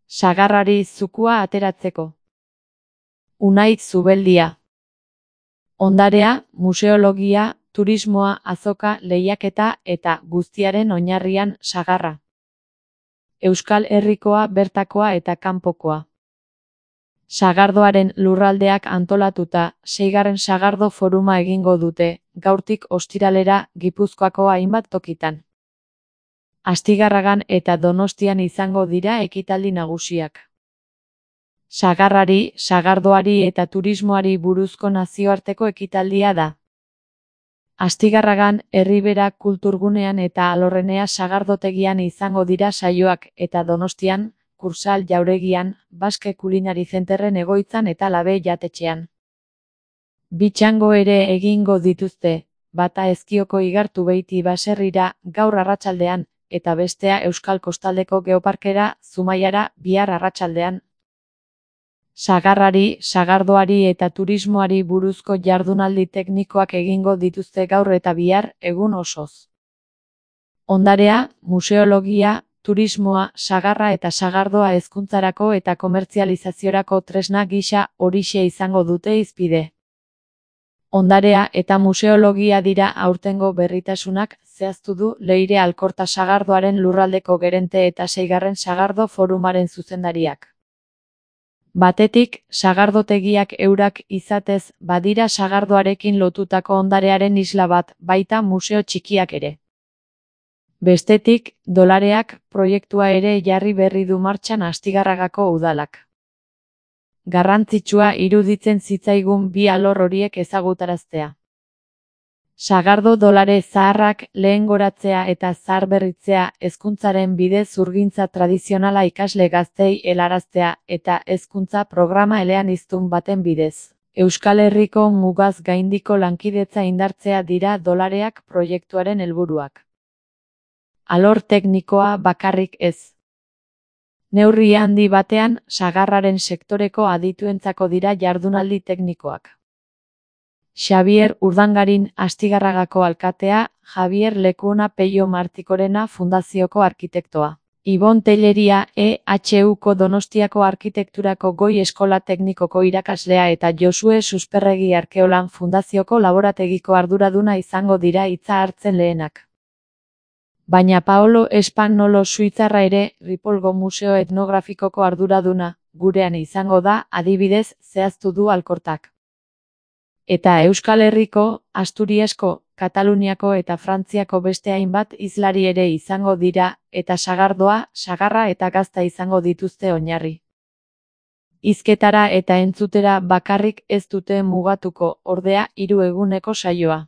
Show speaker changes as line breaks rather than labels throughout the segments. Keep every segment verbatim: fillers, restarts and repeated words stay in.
Sagarrari zukua ateratzeko. Unai Zubeldia. Ondarea, museologia, turismoa, azoka, lehiaketa eta guztiaren oinarrian sagarra. Euskal Herrikoa, bertakoa eta kanpokoa. Sagardoaren lurraldeak antolatuta, seigarren sagardo foruma egingo dute, gaurtik ostiralera Gipuzkoako hainbat tokitan. Astigarragan eta Donostian izango dira ekitaldi nagusiak. Sagarrari, sagardoari eta turismoari buruzko nazioarteko ekitaldia da. Astigarragan, Erribera kulturgunean eta Alorrenea sagardotegian izango dira saioak eta Donostian, Kursal jauregian, Baske Kulinari Zenterren egoitzan eta Labe jatetxean. Bi txango ere egingo dituzte, bata Ezkioko Igartu Beiti baserrira gaur arratsaldean, eta bestea Euskal Kostaldeko Geoparkera, Zumaiara, bihar arratsaldean. Sagarrari, sagardoari eta turismoari buruzko jardunaldi teknikoak egingo dituzte gaur eta bihar, egun osoz. Ondarea, museologia, turismoa, sagarra eta sagardoa hezkuntzarako eta komertzializaziorako tresna gisa horixe izango dute hizpide. Ondarea eta museologia dira aurtengo berritasunak, zehaztu du Leire Alkorta sagardoaren lurraldeko gerente eta seigarren sagardo forumaren zuzendariak. Batetik, sagardotegiak eurak izatez badira sagardoarekin lotutako ondarearen isla bat, baita museo txikiak ere. Bestetik, dolareak proiektua ere jarri berri du martxan Astigarragako udalak. Garrantzitsua iruditzen zitzaigun bi alor horiek ezagutaraztea. Sagardo dolare zaharrak lehengoratzea eta zaharberritzea, hezkuntzaren bidez zurgintza tradizionala ikasle gaztei helaraztea eta hezkuntza programa eleaniztun baten bidez. Euskal Herriko mugaz gaindiko lankidetza indartzea dira dolareak proiektuaren helburuak. Alor teknikoa bakarrik ez. Neurri handi batean, sagarraren sektoreko adituentzako dira jardunaldi teknikoak. Xabier Urdangarin Astigarragako alkatea, Javier Lekuona Peio Martikorena Fundazioko arkitektoa. Ibon Telleria E H Uko Donostiako arkitekturako goi eskola teknikoko irakaslea eta Josue Susperregi Arkeolan Fundazioko laborategiko arduraduna izango dira hitza hartzen lehenak. Baina Paolo Espagnolo Suitzarra ere, Ripolgo Museo Etnografikoko arduraduna, gurean izango da, adibidez, zehaztu du Alkortak. Eta Euskal Herriko, Asturiasko, Kataluniako eta Frantziako beste hainbat hizlari ere izango dira, eta sagardoa, sagarra eta gazta izango dituzte oinarri. Hizketara eta entzutera bakarrik ez dute mugatuko, ordea, hiru eguneko saioa.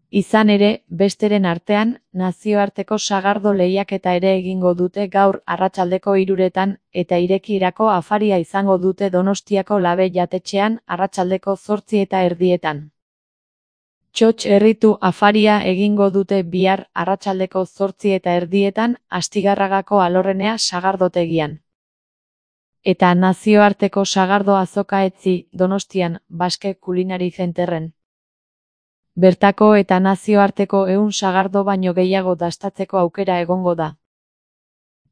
Izan ere, besteren artean, nazioarteko sagardo lehiaketa ere egingo dute gaur arratsaldeko hiruretan eta irekirako afaria izango dute Donostiako Labe jatetxean arratsaldeko zortzi eta erdietan. Txotx herritu afaria egingo dute bihar arratsaldeko zortzi eta erdietan Astigarragako Alorrenea sagardotegian. Eta nazioarteko sagardo azoka etzi Donostian Baske Kulinari Zenterren. Bertako eta nazioarteko ehun sagardo baino gehiago dastatzeko aukera egongo da.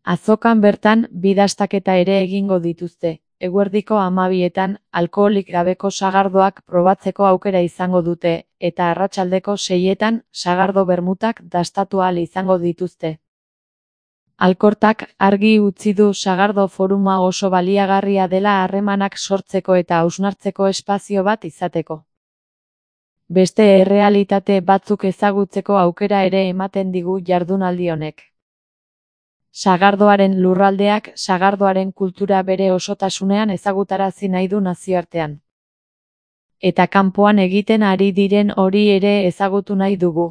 Azokan bertan, bi dastaketa ere egingo dituzte, eguerdiko hamabietan, alkoholik gabeko sagardoak probatzeko aukera izango dute, eta arratsaldeko seietan, sagardo bermutak dastatu ahal izango dituzte. Alkortak argi utzi du sagardo foruma oso baliagarria dela harremanak sortzeko eta hausnartzeko espazio bat izateko. Beste errealitate batzuk ezagutzeko aukera ere ematen digu jardunaldi honek. Sagardoaren lurraldeak sagardoaren kultura bere osotasunean ezagutarazi nahi du nazioartean. Eta kanpoan egiten ari diren hori ere ezagutu nahi dugu.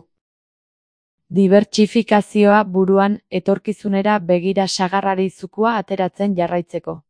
Dibertsifikazioa buruan, etorkizunera begira sagarrari zukua ateratzen jarraitzeko.